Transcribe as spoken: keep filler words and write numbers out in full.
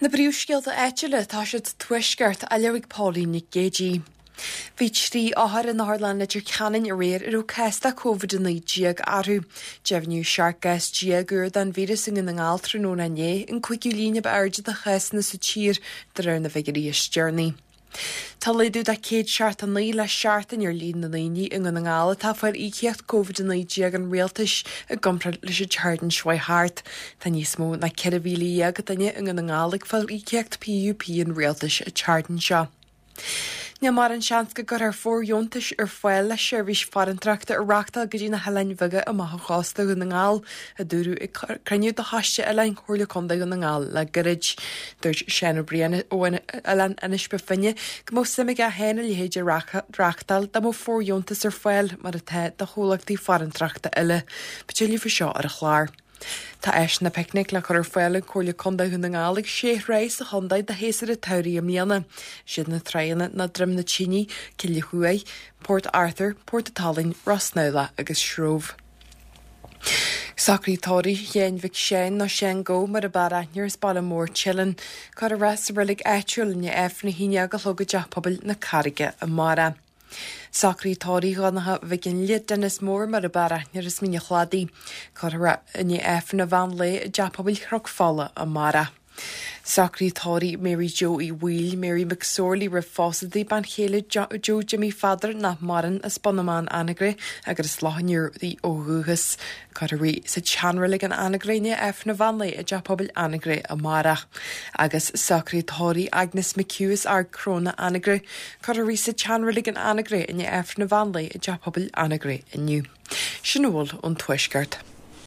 Na príomhscéalta áitiúla tá siad sa Tuaisceart á léamh ag Pauline Nic Géadaigh. Bhí trí othar in Otharlann Leitir Ceanainn aréir a raibh cás de Covid a naoi déag orthu. Deimhníodh seacht gcás déag úr den víreas i nDún na nGall tráthnóna inné, an cúigiú líon ab airde de chásanna sa tír, de réir na bhfigiúirí is deireanaí. Tá laghdú de céad seachtó naoi le seachtain ar líon na ndaoine i nDún na nGall atá ag fáil íocaíocht Covid a naoi déag an rialtais i gcomparáid leis an tseachtain seo thart. Tá níos mó ná ceithre mhíle dhéag duine i nDún na nGall ag fáil íocaíocht PUP an rialtais an tseachtain seo. Níl mórán seans go gcuirfear fóirdheontais ar fáil le seirbhís farantóireachta a reáchtáil go dtí na hoileáin bheaga amach ó chósta Dhún na nGall, a dúradh ag cruinniú de Choiste Oileáin Chomhairle Contae Dhún na nGall le gairid. Dúirt Seán Ó Briain ó Oileán Inis Bó Finne go mbeadh suim aige féin a leithéid a reáchtáil dá mbeadh fóirdheontas ar fáil mar atá do chomhlachtaí farantóireachta eile. Beidh tuilleadh faoi seo ar an chlár. Tá áiseanna picnic le cur ar fáil ag Comhairle Contae Dhún na nGall ag sé thrá sa chontae do shéasúr an tsamhraidh i mbliana. Siad na tránna ná Droim na Tine, Cill Chuaigh, Port Arthur, Port an tSalainn, Ros Snamhlach agus Sróibh. Socraí tórraimh Sheáin Mhic Seáin nó Seán Gó mar ab fhearr aithne air as Baile Mór Teileann. Cuirfear é sa reilig áitiúil i ndiaidh Aifreann a haon déag a chlog i dTeach Pobail na Carraige amárach. Socraí tórraimh Dhonncha Mhic Fhionnghaile, Dennis Mór mar ab fhearr aithne air as Mín an Chladaigh. Cuirfear é i ndiaidh Aifreann an mheán lae i dTeach Pobail Chnoc Fola amárach. Socraí tórraimh Mary Joe Uí Bhaoill, Mary McSorley roimh phósadh di, bean chéile Joe Jimmy Pheadair nach maireann, as Bun na mBan, Anagaire, agus as Loch an Iúir di ó dhúchas. Cuirfear í sa tseanreilig in Anagaire i ndiaidh Aifreann an mheán lae i dTeach Pobail Anagaire amárach. Agus socraí tórraimh Agnes McHugh as Ard Cróna, Anagaire. Cuirfear í sa tseanreilig in Anagaire i ndiaidh Aifreann an mheán lae i dTeach Pobail Anagaire inniu. Sin a bhfuil ón Tuaisceart.